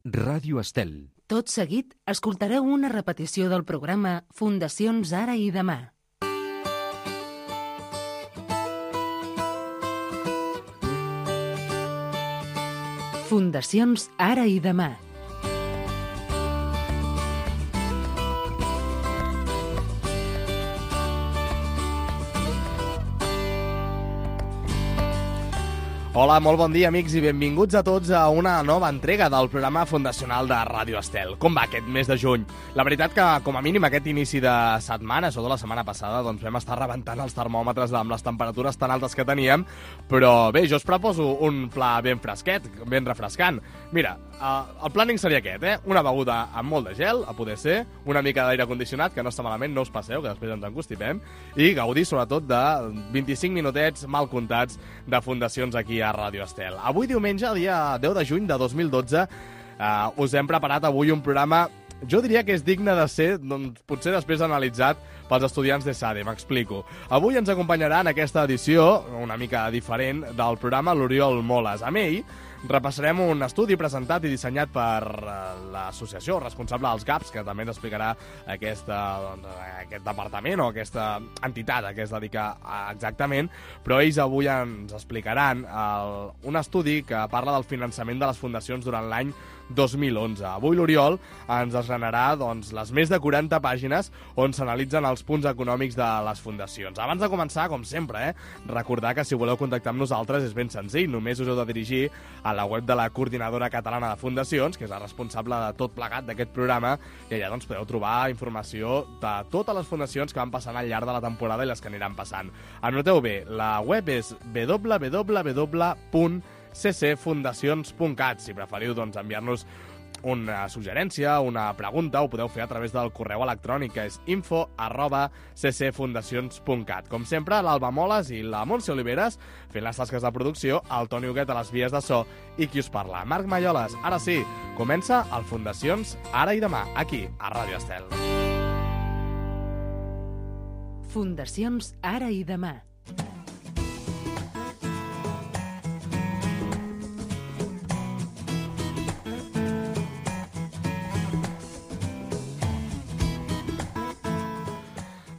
Ràdio Estel. Tot seguit, escoltareu una repetició del programa Fundacions Ara i Demà. Fundacions Ara i Demà. Hola, molt bon dia, amics, i benvinguts a tots a una nova entrega del programa fundacional de Ràdio Estel. Com va aquest mes de juny? La veritat que, com a mínim, aquest inici de setmana, sobretot la setmana passada, doncs vam estar rebentant els termòmetres amb les temperatures tan altes que teníem, però bé, jo us proposo un pla ben fresquet, ben refrescant. Mira, el plàning seria aquest, Una beguda amb molt de gel, a poder ser, una mica d'aire condicionat, que no està malament, no us passeu, que després ens encostipem, i gaudir, sobretot, de 25 minutets mal comptats de fundacions aquí a Ràdio Estel. Avui diumenge, dia 10 de juny de 2012, us hem preparat avui un programa, jo diria que és digne de ser, doncs, potser després analitzat pels estudiants de SADE, m'explico. Avui ens acompanyarà en aquesta edició, una mica diferent, del programa l'Oriol Moles. Amb ell repassarem un estudi presentat i dissenyat per l'associació responsable dels GAPs, que també ens explicarà aquest departament o aquesta entitat a què es dedica exactament, però ells avui ens explicaran un estudi que parla del finançament de les fundacions durant l'any 2011. Avui l'Oriol ens desgranarà les més de 40 pàgines on s'analitzen els punts econòmics de les fundacions. Abans de començar, com sempre, recordar que si voleu contactar amb nosaltres és ben senzill, només us heu de dirigir a la web de la Coordinadora Catalana de Fundacions, que és la responsable de tot plegat d'aquest programa, i allà podeu trobar informació de totes les fundacions que van passant al llarg de la temporada i les que aniran passant. Anoteu bé, la web és www.ccfundacions.cat. Si preferiu enviar-nos una suggerència, una pregunta, ho podeu fer a través del correu electrònic, que és info@ccfundacions.cat. Com sempre, l'Alba Moles i la Montse Oliveres fent les tasques de producció, el Toni Huguet a les vies de so i qui us parla, Marc Malloles. Ara sí, comença el Fundacions Ara i Demà, aquí, a Ràdio Estel. Fundacions Ara i Demà.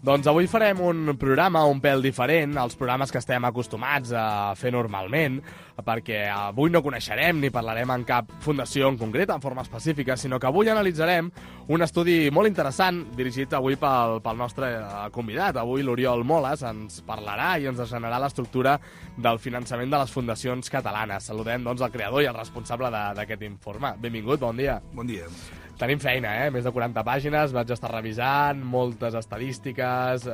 Doncs avui farem un programa un pèl diferent als programes que estem acostumats a fer normalment, perquè avui no coneixerem ni parlarem en cap fundació en concret, en forma específica, sinó que avui analitzarem un estudi molt interessant dirigit avui pel nostre convidat. Avui l'Oriol Moles ens parlarà i ens desgranarà l'estructura del finançament de les fundacions catalanes. Saludem el creador i el responsable d'aquest informe. Benvingut, bon dia. Bon dia. Tenim feina, més de 40 pàgines, vaig estar revisant, moltes estadístiques,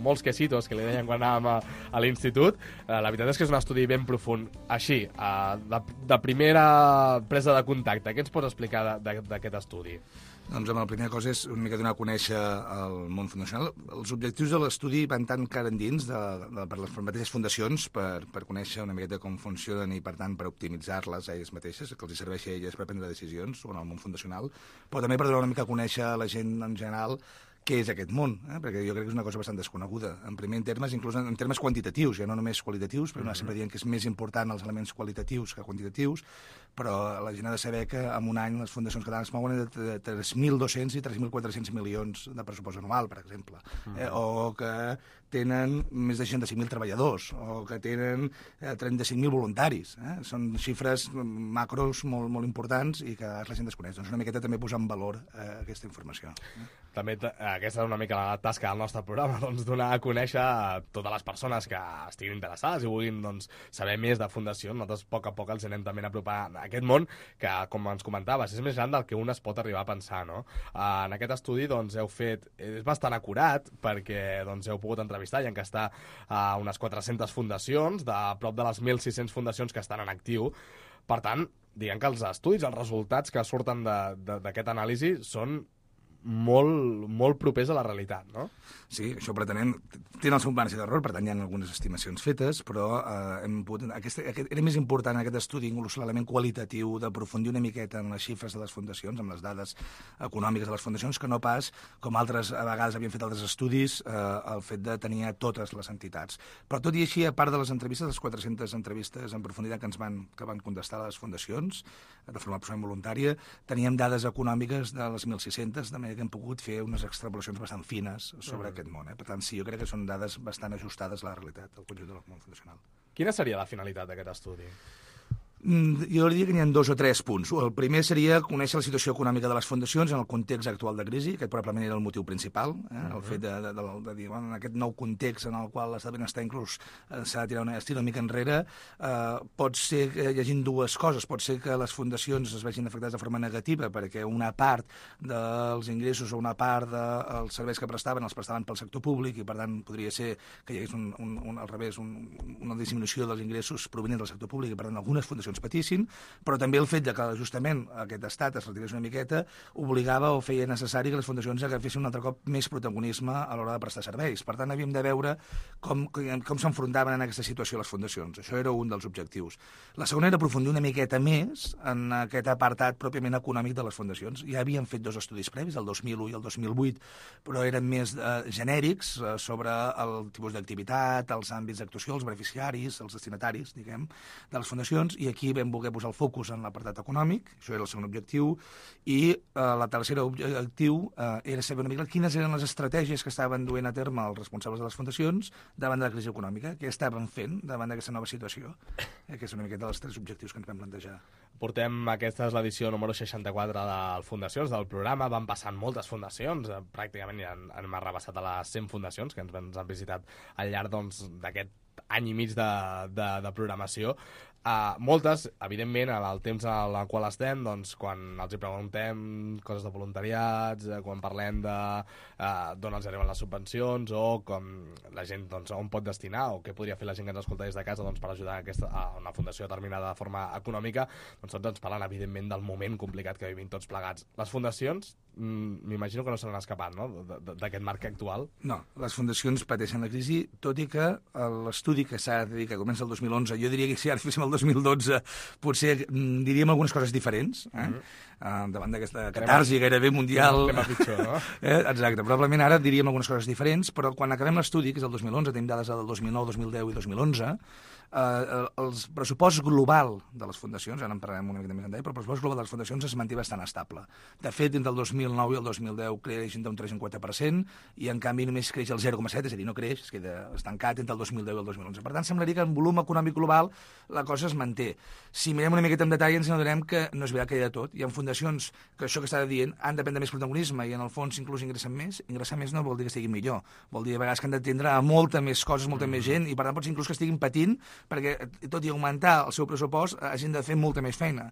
molts quesitos que li deien quan anàvem a l'institut. La veritat és que és un estudi ben profund. Així, de primera presa de contacte, què ens pots explicar d'aquest estudi? Doncs la primera cosa és una mica donar a conèixer el món fundacional. Els objectius de l'estudi van tant cara endins per les mateixes fundacions per conèixer una miqueta com funcionen i, per tant, per optimitzar-les a elles mateixes, que els serveixi a elles per prendre decisions sobre el món fundacional, però també per donar una mica a conèixer a la gent en general què és aquest món, perquè jo crec que és una cosa bastant desconeguda. En primer termes, inclús en termes quantitatius, ja no només qualitatius, però sempre dient que és més important els elements qualitatius que quantitatius, però la gent ha de saber que en un any les fundacions catalanes mouen de 3.200 i 3.400 milions de pressupost anual, per exemple, o que tenen més de 65.000 treballadors, o que tenen 35.000 voluntaris. Són xifres macros molt importants i que la gent desconeix. Doncs una miqueta també posar en valor aquesta informació. També aquesta és una mica la tasca del nostre programa, donar a conèixer a totes les persones que estiguin interessades i vulguin saber més de fundació. Nosaltres, a poc els anem també a apropar a aquest món que, com ens comentaves, és més gran del que un es pot arribar a pensar, no? En aquest estudi heu fet... És bastant acurat perquè heu pogut entrevistar i enquestar a unes 400 fundacions, de prop de les 1.600 fundacions que estan en actiu. Per tant, diguem que els estudis, els resultats que surten d'aquest anàlisi són molt propers a la realitat, no? Sí, això pretenem. Tenen el seu marge d'error, per tant hi ha algunes estimacions fetes, però era més important aquest estudi, inclús l'element qualitatiu, d'aprofundir una miqueta en les xifres de les fundacions, amb les dades econòmiques de les fundacions, que no pas, com altres a vegades havien fet altres estudis, el fet de tenir a totes les entitats. Però tot i així, a part de les entrevistes, les 400 entrevistes en profunditat que van contestar a les fundacions, de forma absolutament voluntària, teníem dades econòmiques de les 1.600, de manera que hem pogut fer unes extrapolacions bastant fines sobre aquest món. Per tant, sí, jo crec que són dades bastant ajustades a la realitat del conjunt del món fundacional. Quina seria la finalitat d'aquest estudi? Jo diria que n'hi ha 2 o 3 punts. El primer seria conèixer la situació econòmica de les fundacions en el context actual de crisi. Aquest probablement era el motiu principal, el fet de dir, bueno, en aquest nou context en el qual l'estat de benestar inclús s'ha de tirar una mica enrere, pot ser que hi hagi 2 coses. Pot ser que les fundacions es vegin afectades de forma negativa perquè una part dels ingressos o una part dels serveis que prestaven els prestaven pel sector públic i, per tant, podria ser que hi hagués al revés una disminució dels ingressos provenents del sector públic i, per tant, algunes fundacions patissin, però també el fet de que justament aquest estat es retirés una miqueta obligava o feia necessari que les fundacions agafessin un altre cop més protagonisme a l'hora de prestar serveis. Per tant, havíem de veure com s'enfrontaven en aquesta situació les fundacions. Això era un dels objectius. La segona era aprofundir una miqueta més en aquest apartat pròpiament econòmic de les fundacions. Ja havíem fet 2 estudis previs, el 2001 i el 2008, però eren més genèrics sobre el tipus d'activitat, els àmbits d'actuació, els beneficiaris, els destinataris, diguem, de les fundacions, i aquí vam voler posar el focus en l'apartat econòmic, això era el segon objectiu, i la tercera objectiu era saber una mica quines eren les estratègies que estaven duent a terme els responsables de les fundacions davant de la crisi econòmica, què estaven fent davant d'aquesta nova situació, que és una miqueta dels 3 objectius que ens vam plantejar. Aquesta és l'edició número 64 del Fundacions, del programa. Van passant moltes fundacions, pràcticament ja hem arrabassat a les 100 fundacions que ens han visitat al llarg d'aquest any i mig de programació. Moltes, evidentment, en el temps en el qual estem, doncs, quan els hi preguntem coses de voluntariats, quan parlem d'on els arriben les subvencions o com la gent, doncs, on pot destinar o què podria fer la gent que ens escolta des de casa, doncs, per ajudar a una fundació determinada de forma econòmica, doncs tots ens parlen, evidentment, del moment complicat que vivim tots plegats. Les fundacions, m'imagino que no se n'han escapat, no?, d'aquest marc actual. No, les fundacions pateixen la crisi, tot i que l'estudi que s'ha de dir que comença el 2011, jo diria que si ara féssim el 2012 potser diríem algunes coses diferents, davant d'aquesta catarsi gairebé mundial. Anem a pitjor, no? Exacte, probablement ara diríem algunes coses diferents, però quan acabem l'estudi, que és el 2011, tenim dades del 2009, 2010 i 2011, el pressupost global de les fundacions, ara en parlarem una mica més en detall, però el pressupost global de les fundacions es manté bastant estable. De fet, entre el 2009 i el 2010 creix entre un 3 i un 4%, i en canvi només creix el 0,7%, és a dir, no creix, es queda estancat entre el 2010 i el 2011. Per tant, semblaria que en volum econòmic global la cosa es manté. Si mirem una miqueta en detall ens adonem que no és veritat que hi ha de tot. Hi ha fundacions que això que estava dient han de prendre més protagonisme i en el fons inclús ingressen més. Ingressar més no vol dir que estiguin millor. Vol dir a vegades que han d'atendre a molta més coses, molta més gent, i per tant pot ser inclús que estiguin patint perquè, tot i augmentar el seu pressupost, hagin de fer molta més feina.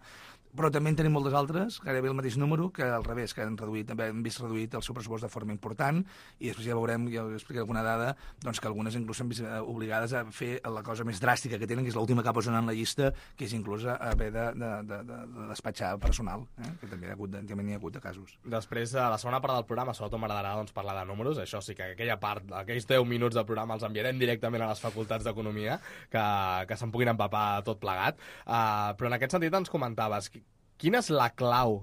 Però també en tenim moltes altres, gairebé el mateix número, que al revés, que han vist reduït el seu pressupost de forma important, i després ja veurem, ja us explicaré alguna dada, doncs que algunes inclús s'han vist obligades a fer la cosa més dràstica que tenen, que és l'última que posen en la llista, que és inclús haver de despatxar personal, que també n'hi ha hagut de casos. Després, a la segona part del programa, sobretot m'agradarà parlar de números. Això sí que aquella part, aquells 10 minuts del programa els enviarem directament a les facultats d'Economia, que se'n puguin empapar tot plegat. Però en aquest sentit ens comentaves, quina és la clau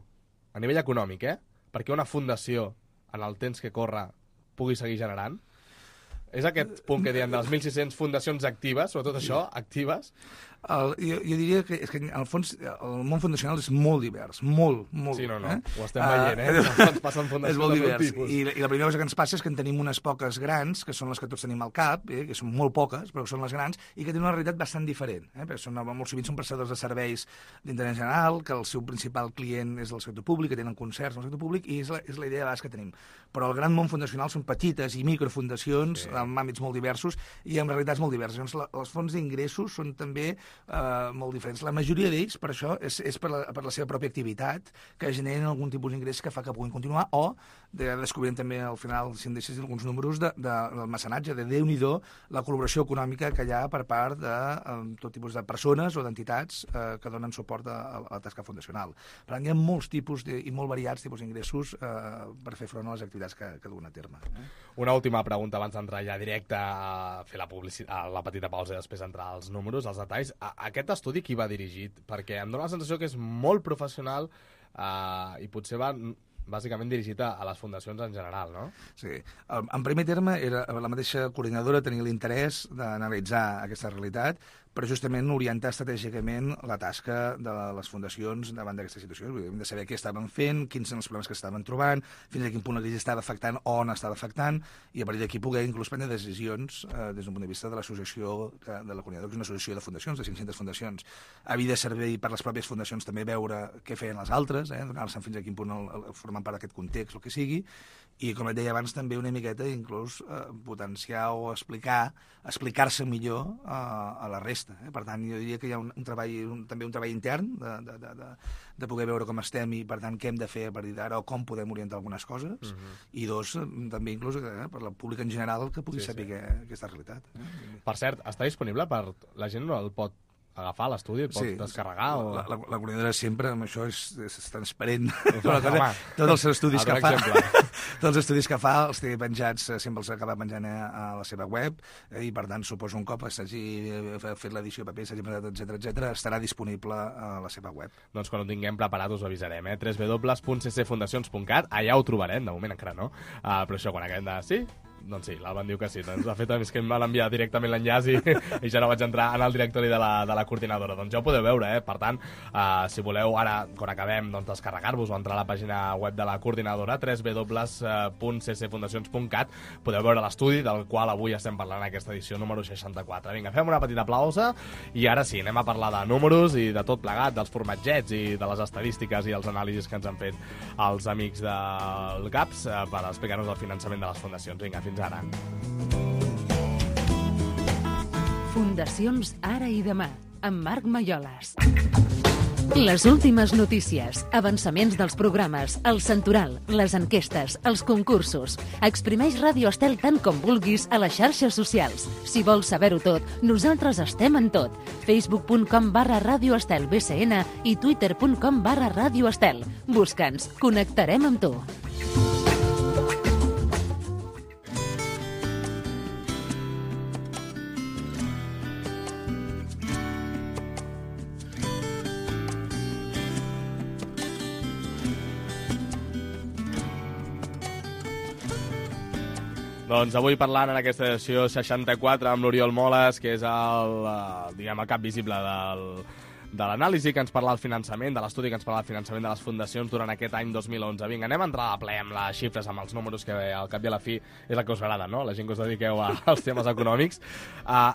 a nivell econòmic, perquè una fundació, en el temps que corre, pugui seguir generant? És aquest punt que diem de les 1.600 fundacions actives, sobretot això, actives? Jo diria que, és que en el fons el món fundacional és molt divers, molt. Sí, no, ho estem veient, ens passen fundacions és molt de divers. tipus. I la primera cosa que ens passa és que en tenim unes poques grans, que són les que tots tenim al cap, que són molt poques, però que són les grans, i que tenen una realitat bastant diferent. Perquè molt sovint són prestadors de serveis d'interès general, que el seu principal client és el sector públic, que tenen concerts en el sector públic, i és la idea de base que tenim. Però el gran món fundacional són petites i microfundacions, amb àmbits molt diversos i amb realitats molt diverses. Llavors, els fons d'ingressos són també molt diferents. La majoria d'ells, per això, és per la seva pròpia activitat, que generen algun tipus d'ingrés que fa que puguin continuar, o descobrint també al final, si em deixes alguns números, del mecenatge, de Déu-n'hi-do la col·laboració econòmica que hi ha per part de tot tipus de persones o d'entitats que donen suport a la tasca fundacional. Per tant, hi ha molts tipus i molt variats tipus d'ingressos per fer front a les activitats que duen a terme. Una última pregunta abans d'entrar ja directe a fer la petita pausa i després entrar als números, als detalls. Aquest estudi qui va dirigit? Perquè em dóna la sensació que és molt professional i potser va bàsicament dirigit a les fundacions en general, no? Sí. En primer terme, la mateixa coordinadora tenia l'interès d'analitzar aquesta realitat, però justament orientar estratègicament la tasca de les fundacions davant d'aquesta situació. Hem de saber què estaven fent, quins són els problemes que estaven trobant, fins a quin punt la crisi estava afectant o on estava afectant, i a partir d'aquí poder inclús prendre decisions des d'un punt de vista de l'associació de la coordinadora, que és una associació de fundacions, de 500 fundacions. Havia de servir per les pròpies fundacions també veure què feien les altres, donar-se fins a quin punt formant part d'aquest context, el que sigui, i, com et deia abans, també una miqueta inclús potenciar o explicar-se millor a la resta. Per tant, jo diria que hi ha també un treball intern de poder veure com estem i, per tant, què hem de fer a partir d'ara o com podem orientar algunes coses, i dos, també inclús per la pública en general que pugui saber aquesta realitat. Per cert, està disponible per... La gent no el pot agafar l'estudi, el pot descarregar? La coordinadora sempre, amb això és transparent. Tots els estudis que fa, tots els estudis que fa els té penjats, sempre els acaba penjant a la seva web, i per tant, suposo un cop s'hagi fet l'edició paper, s'hagi presentat, etc., estarà disponible a la seva web. Doncs quan ho tinguem preparat us avisarem, www.ccfundacions.cat, allà ho trobarem, de moment encara no, però això, quan acabem de... Sí? Doncs sí, l'Alba em diu que sí. Doncs, de fet, és que em van enviar directament l'enllaç i ja no vaig entrar en el directori de la coordinadora. Doncs ja ho podeu veure, Per tant, si voleu, ara, quan acabem, doncs, descarregar-vos o entrar a la pàgina web de la coordinadora, www.ccfundacions.cat, podeu veure l'estudi del qual avui estem parlant en aquesta edició número 64. Vinga, fem una petita pausa i ara sí, anem a parlar de números i de tot plegat, dels formatgets i de les estadístiques i els anàlisis que ens han fet els amics del GAPS per explicar-nos el finançament de les fundacions. Vinga, fins ara. Fundacions Ara i Demà, amb Marc Malloles. Les últimes notícies, avançaments dels programes, el santoral, les enquestes, els concursos. Exprimeix Ràdio Estel tant com vulguis a les xarxes socials. Si vols saber-ho tot, nosaltres estem en tot. facebook.com/Ràdio Estel BCN i twitter.com/Ràdio Estel. Busca'ns, connectarem amb tu. Doncs avui parlant en aquesta edició 64 amb l'Oriol Moles, que és el cap visible de l'anàlisi que ens parla del finançament, de l'estudi que ens parla del finançament de les fundacions durant aquest any 2011. Vinga, anem a entrar a ple amb les xifres, amb els números, que al cap i a la fi és el que us agrada, no? La gent que us dediqueu als temes econòmics.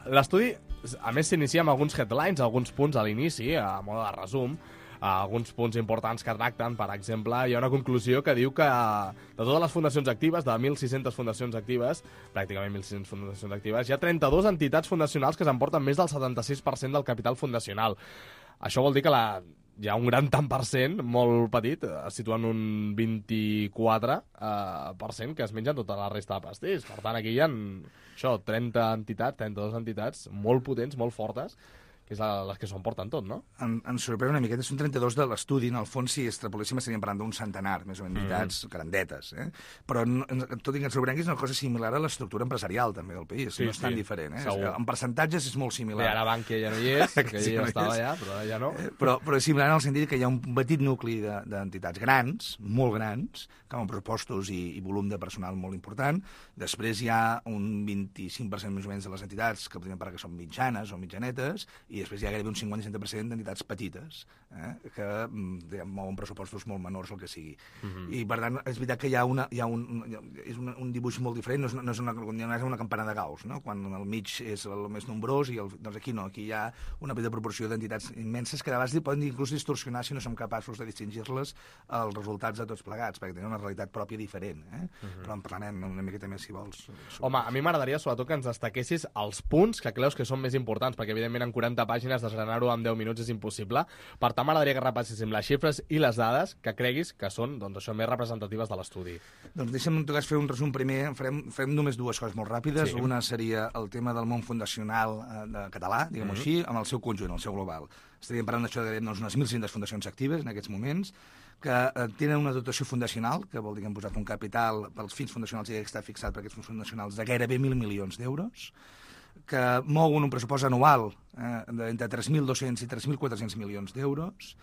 L'estudi, a més, s'inicia amb alguns headlines, alguns punts a l'inici, a mode de resum, alguns punts importants que tracten. Per exemple, hi ha una conclusió que diu que de totes les fundacions actives, de 1.600 fundacions actives, pràcticament 1.600 fundacions actives, hi ha 32 entitats fundacionals que s'emporten més del 76% del capital fundacional. Això vol dir que hi ha un gran tant per cent, molt petit, situant un 24%, que es mengen tota la resta de pastís. Per tant, aquí hi ha 32 entitats molt potents, molt fortes, que és les que s'ho emporten tot, no? Ens sorprèn una miqueta, són 32 de l'estudi, en el fons, si extrapoléssim, estaríem parlant d'un centenar, més o menys, entitats grandetes, Però, tot i que ens sorprèn, és una cosa similar a l'estructura empresarial, també, del país, no és tan diferent, En percentatges és molt similar. Bé, ara Bankia ja no hi és, que ja estava allà, però ara ja no. Però és similar en el sentit que hi ha un petit nucli d'entitats grans, molt grans, que amb pressupostos i volum de personal molt important. Després hi ha un 25% més o menys de les entitats que podríem parlar que són mitjanes o mitjanetes, i després hi ha gairebé un 50-60% d'entitats petites, que mouen pressupostos molt menors o el que sigui. I, per tant, és veritat que hi ha un dibuix molt diferent, no és una campana de Gauss, no? Quan al mig és el més nombrós, doncs aquí no, aquí hi ha una petita proporció d'entitats immenses que de vegades poden inclús distorsionar si no som capaços de distingir-les els resultats de tots plegats, perquè tenen una realitat pròpia diferent. Però en parlarem una miqueta més, si vols. Home, a mi m'agradaria sobretot que ens destaquessis els punts que creus que són més importants, perquè evidentment en 40 pàgines desgranar-ho en 10 minuts és impossible. Per tant, m'agradaria que repasséssim les xifres i les dades que creguis que són, doncs, això, més representatives de l'estudi. Doncs deixa'm en tot cas fer un resum primer. Farem només dues coses molt ràpides. Sí. Una seria el tema del món fundacional de català, diguem-ho així, amb el seu conjunt, el seu global. Estaríem parlant d'això de unes 1.500 fundacions actives en aquests moments, que tenen una dotació fundacional, que vol dir que han posat un capital pels fins fundacionals i que està fixat per aquests fins fundacionals de gairebé 1.000 milions d'euros, que mouen un pressupost anual d'entre 3.200 i 3.400 milions d'euros,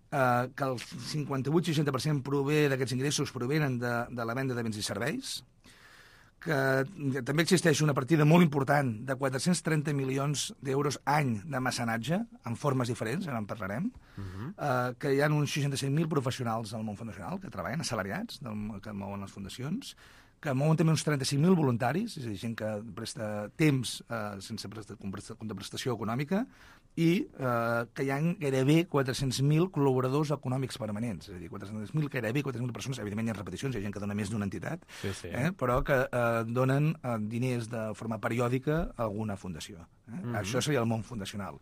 que el 58-60% prové d'aquests ingressos provenen de la venda de béns i serveis, que també existeix una partida molt important de 430 milions d'euros any de mecenatge, en formes diferents, ara en parlarem, que hi ha uns 65.000 professionals del món fundacional que treballen, assalariats, que mouen les fundacions, que mouen també uns 35.000 voluntaris, és a dir, gent que presta temps sense contraprestació econòmica, i que hi ha gairebé 400.000 col·laboradors econòmics permanents, és a dir, gairebé 400.000 persones, evidentment hi ha repeticions, hi ha gent que dona més d'una entitat, però que donen diners de forma periòdica a alguna fundació. Això seria el món fundacional.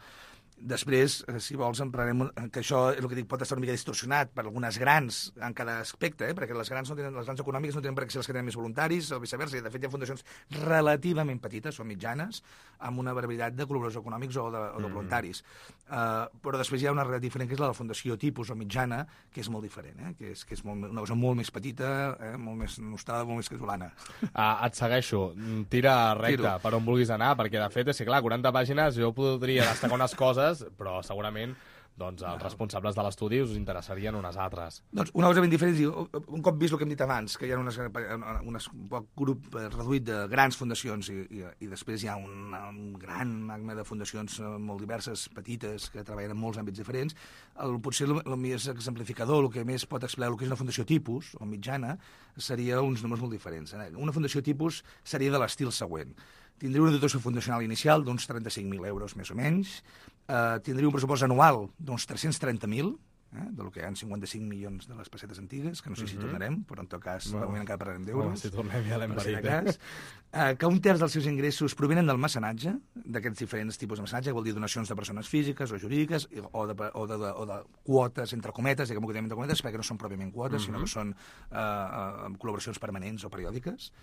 Després, si vols, en parlarem que això és el que dic, pot estar una mica distorsionat per algunes grans en cada aspecte, perquè les grans econòmiques no tenen per què ser les que tenen més voluntaris, o viceversa. De fet, hi ha fundacions relativament petites o mitjanes amb una barbaritat de col·laboradors econòmics o de voluntaris. Però després hi ha una realitat diferent, que és la de la fundació tipus o mitjana, que és molt diferent, que és una cosa molt més petita, molt més nostrada, molt més casolana. Et segueixo. Tira recte per on vulguis anar, perquè de fet, és que clar, 40 pàgines jo podria destacar unes coses, però segurament doncs, els responsables de l'estudi us interessarien unes altres. Doncs una cosa ben diferent és dir, un cop vist el que hem dit abans, que hi ha un poc grup reduït de grans fundacions i després hi ha un gran magma de fundacions molt diverses, petites, que treballen en molts àmbits diferents, potser el més exemplificador, el que més pot explicar el que és una fundació tipus, o mitjana, seria uns números molt diferents. Una fundació tipus seria de l'estil següent. Tindria una dotació fundacional inicial d'uns 35.000 euros, més o menys. Tindria un pressupost anual d'uns 330.000, del que hi ha 55 milions de les pessetes antigues, que no sé si tornarem, però en tot cas, de moment encara parlarem d'euros. Si tornem ja l'hem parit. Que un terç dels seus ingressos provenen del mecenatge, d'aquests diferents tipus de mecenatge, que vol dir donacions de persones físiques o jurídiques, o de quotes, entre cometes, diguem-ho que entre cometes, perquè no són pròpiament quotes, sinó que són col·laboracions permanents o periòdiques,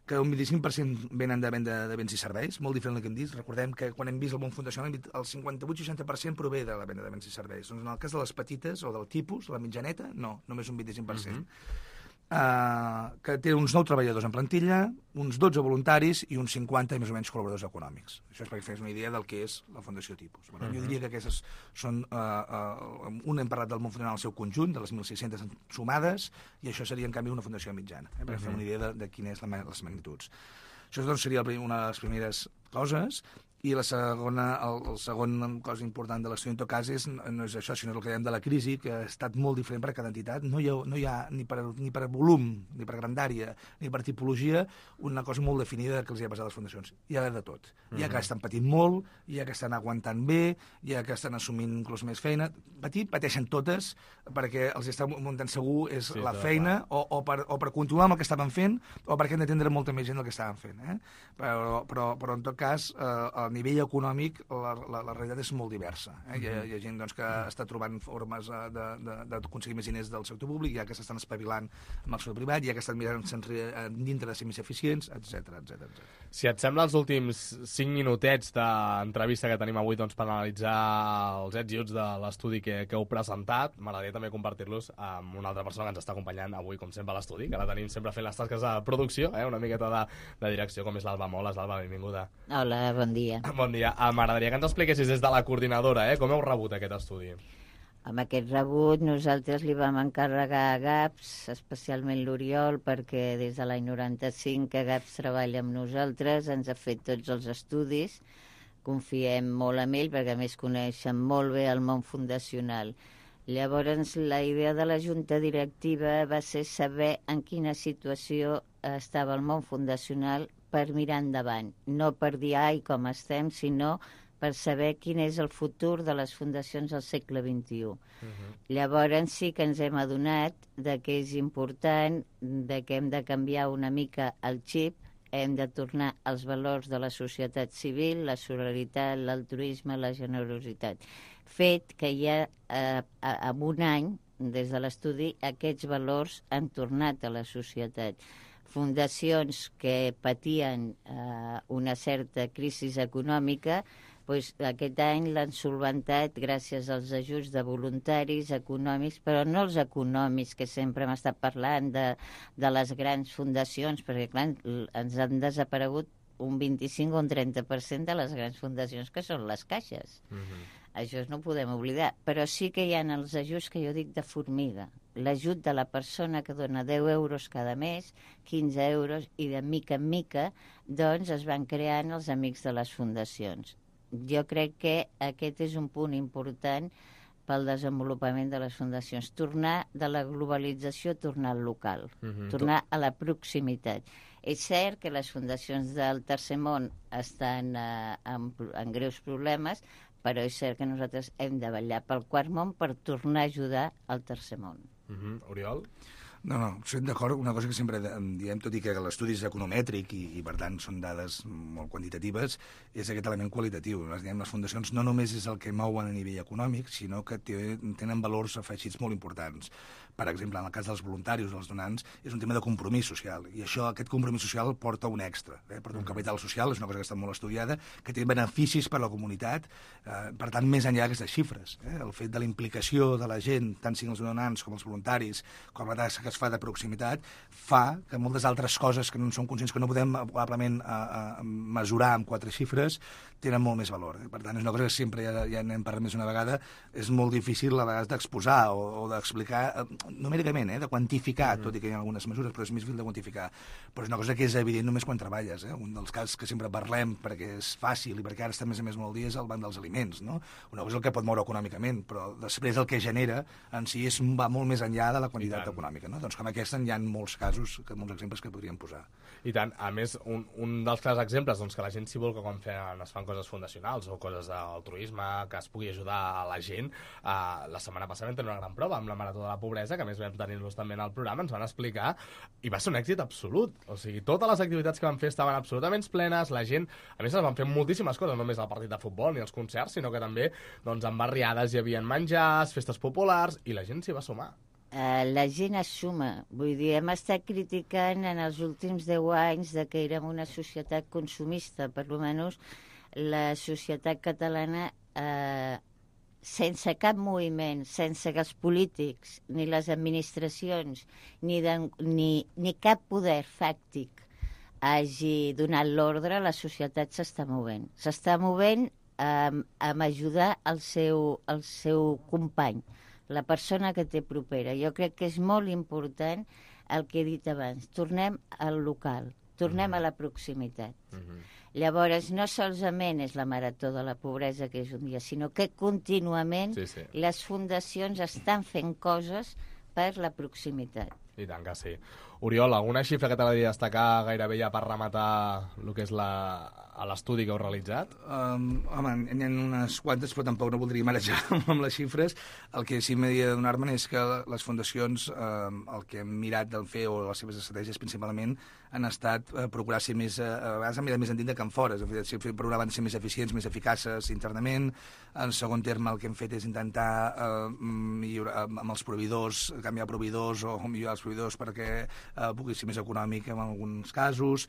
que un 25% venen de venda de béns i serveis, molt diferent del que hem dit. Recordem que quan hem vist el món fundacional, el 58-60% prové de la venda de béns i serveis. Doncs en el cas de les petites o del tipus, la mitjaneta, no, només un 25%. Que té uns 9 treballadors en plantilla, uns 12 voluntaris i uns 50 més o menys col·laboradors econòmics. Això és perquè fes una idea del que és la fundació tipus. Jo diria que aquestes són... hem parlat del món fundacional al seu conjunt, de les 1.600 sumades, i això seria, en canvi, una fundació mitjana, per fer una idea de quines són les magnituds. Això doncs, seria una de les primeres coses. I la segon cosa important de l'estudi, en tot cas, no és això, sinó el que dèiem de la crisi, que ha estat molt diferent per a cada entitat. No hi ha ni per volum, ni per grandària, ni per tipologia, una cosa molt definida que els hi ha passat a les fundacions. Hi ha de tot. Hi ha que estan patint molt, hi ha que estan aguantant bé, hi ha que estan assumint inclús més feina. Pateixen totes, perquè els està muntant segur és la feina, o per continuar amb el que estaven fent, o perquè han d'atendre molta més gent del que estaven fent. Però en tot cas, a nivell econòmic la realitat és molt diversa. Hi ha gent que està trobant formes d'aconseguir més diners del sector públic, hi ha que s'estan espavilant amb el sector privat, hi ha que estan mirant dintre de ser més eficients, etc. Si et sembla, els últims 5 minutets d'entrevista que tenim avui per analitzar els ets i uts de l'estudi que heu presentat, m'agradaria també compartir-los amb una altra persona que ens està acompanyant avui, com sempre, a l'estudi, que la tenim sempre fent les tasques de producció, una miqueta de direcció, com és l'Alba Moles. L'Alba, benvinguda. Hola, bon dia. Bon dia. M'agradaria que ens expliquessis des de la coordinadora, com heu rebut aquest estudi? Amb aquest rebut nosaltres li vam encarregar a GAPS, especialment l'Oriol, perquè des de l'any 95 que GAPS treballa amb nosaltres, ens ha fet tots els estudis, confiem molt en ell perquè a més coneixen molt bé el món fundacional. Llavors, la idea de la junta directiva va ser saber en quina situació estava el món fundacional per mirar endavant. No per dir, ai, com estem, sinó per saber quin és el futur de les fundacions del segle XXI. Llavors sí que ens hem adonat de que és important, de que hem de canviar una mica el xip, hem de tornar als valors de la societat civil, la solidaritat, l'altruisme, la generositat. Fet que ja en un any, des de l'estudi, aquests valors han tornat a la societat. Fundacions que patien una certa crisi econòmica, doncs aquest any l'han solventat gràcies als ajuts de voluntaris econòmics, però no els econòmics que sempre hem estat parlant de les grans fundacions, perquè clar, ens han desaparegut un 25 o un 30% de les grans fundacions que són les caixes. Això no ho podem oblidar, però sí que hi ha els ajuts que jo dic de formiga. L'ajut de la persona que dona 10 euros cada mes, 15 euros, i de mica en mica doncs es van creant els amics de les fundacions. Jo crec que aquest és un punt important pel desenvolupament de les fundacions. Tornar de la globalització, tornar al local, tornar a la proximitat. És cert que les fundacions del tercer món estan en greus problemes, però és cert que nosaltres hem de vetllar pel quart món per tornar a ajudar al tercer món. Oriol? No, estic d'acord. Una cosa que sempre diem, tot i que l'estudi és economètric i per tant són dades molt quantitatives, és aquest element qualitatiu. Les fundacions no només és el que mouen a nivell econòmic, sinó que tenen valors afegits molt importants. Per exemple, en el cas dels voluntaris, dels donants, és un tema de compromís social, i aquest compromís social porta un extra, porta un capital social, és una cosa que està molt estudiada, que té beneficis per a la comunitat, per tant, més enllà d'aquestes xifres. El fet de la implicació de la gent, tant siguin els donants com els voluntaris, com la tasca que es fa de proximitat, fa que moltes altres coses que no som conscients, que no podem probablement mesurar amb 4 xifres, tenen molt més valor. Per tant, és una cosa que sempre, ja n'hem parlat més una vegada, és molt difícil a vegades d'exposar o d'explicar numèricament, de quantificar, tot i que hi ha algunes mesures, però és més difícil de quantificar. Però és una cosa que és evident només quan treballes. Un dels casos que sempre parlem, perquè és fàcil i perquè ara està més a més molt dia, és el banc dels aliments. No? Una cosa és el que pot moure econòmicament, però després el que genera en si va molt més enllà de la quantitat econòmica. No? Doncs com aquesta hi ha molts casos, molts exemples que podríem posar. I tant. A més, un dels clars exemples, doncs, que la gent s'hi vol que quan es fan coses fundacionals o coses d'altruisme, que es pugui ajudar a la gent, la setmana passada vam tenir una gran prova amb la Marató de la Pobresa, que a més vam tenir-los també en el programa, ens van explicar, i va ser un èxit absolut. O sigui, totes les activitats que van fer estaven absolutament plenes, la gent, a més, es van fer moltíssimes coses, no només el partit de futbol ni els concerts, sinó que també doncs, en barriades hi havia menjars, festes populars, i la gent s'hi va sumar. La gent es suma. Vull dir, hem estat criticant en els últims 10 anys de que érem una societat consumista, per almenys la societat catalana, sense cap moviment, sense que els polítics, ni les administracions, ni cap poder fàctic hagi donat l'ordre, la societat s'està movent. S'està movent amb ajudar el seu company, la persona que té propera. Jo crec que és molt important el que he dit abans. Tornem al local, tornem a la proximitat. Llavors, no solament és la Marató de la Pobresa, que és un dia, sinó que contínuament les fundacions estan fent coses per la proximitat. I tant que sí. Oriol, alguna xifra que t'agradaria destacar gairebé ja per rematar el que és l'estudi que heu realitzat? Home, n'hi ha unes quantes, però tampoc no voldria marejar amb les xifres. El que sí m'hauria de donar-me'n és que les fundacions, el que hem mirat del fer, o les seves estratègies principalment, han estat procurar ser més, a vegades han mirat més endins que en fora, procuraven ser més eficients, més eficaces internament. En segon terme, el que hem fet és intentar millorar amb els proveïdors, canviar proveïdors o millorar els proveïdors perquè pugui ser més econòmic en alguns casos,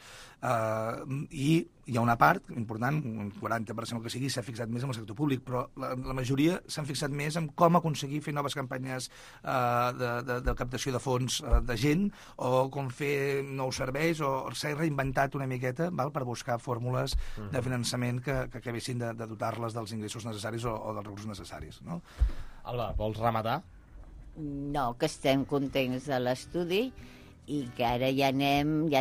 i hi ha una part important, un 40% el que sigui, s'ha fixat més en el sector públic, però la majoria s'han fixat més en com aconseguir fer noves campanyes de captació de fons de gent, o com fer nous serveis, o s'ha reinventat una miqueta per buscar fórmules de finançament que acabessin de dotar-les dels ingressos necessaris o dels recursos necessaris. No? Alba, vols rematar? No, que estem contents de l'estudi i que ara ja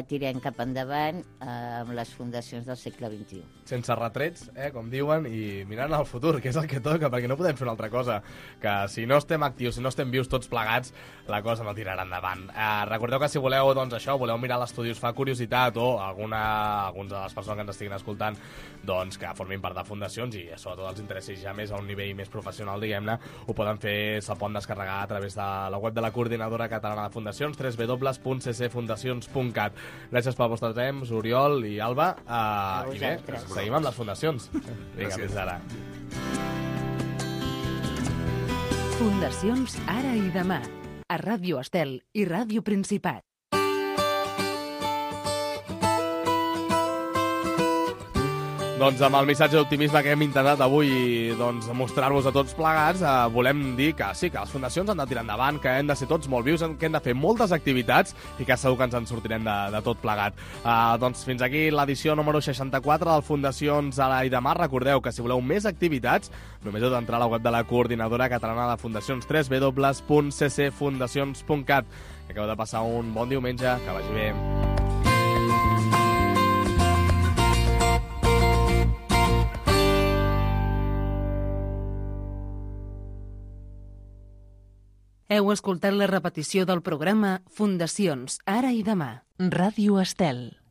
tirem cap endavant amb les fundacions del segle XXI. Sense retrets, com diuen, i mirant al futur, que és el que toca, perquè no podem fer una altra cosa, que si no estem actius, si no estem vius tots plegats, la cosa no tirarà endavant. Recordeu que si voleu, doncs això, voleu mirar l'estudi, us fa curiositat, o alguns de les persones que ens estiguin escoltant, doncs que formin part de fundacions i sobretot els interessi ja més a un nivell més professional, diguem-ne, ho poden fer, se'l poden descarregar a través de la web de la Coordinadora Catalana de Fundacions, www.ccfundacions.cat. Gràcies pel vostre temps, Oriol i Alba, i bé, seguim amb les fundacions. Vinga, fins ara. Fundacions Ara i Demà, a Ràdio Estel i Ràdio Principat. Doncs amb el missatge d'optimisme que hem intentat avui mostrar-vos a tots plegats, volem dir que sí, que les fundacions han de tirar endavant, que hem de ser tots molt vius, que hem de fer moltes activitats i que segur que ens en sortirem de tot plegat. Doncs fins aquí l'edició número 64 del Fundacions Ara i Demà. Recordeu que si voleu més activitats, només heu d'entrar a la web de la Coordinadora Catalana de Fundacions, www.ccfundacions.cat. Que acabeu de passar un bon diumenge, que vagi bé. Heu escoltat la repetició del programa Fundacions Ara i Demà. Ràdio Estel.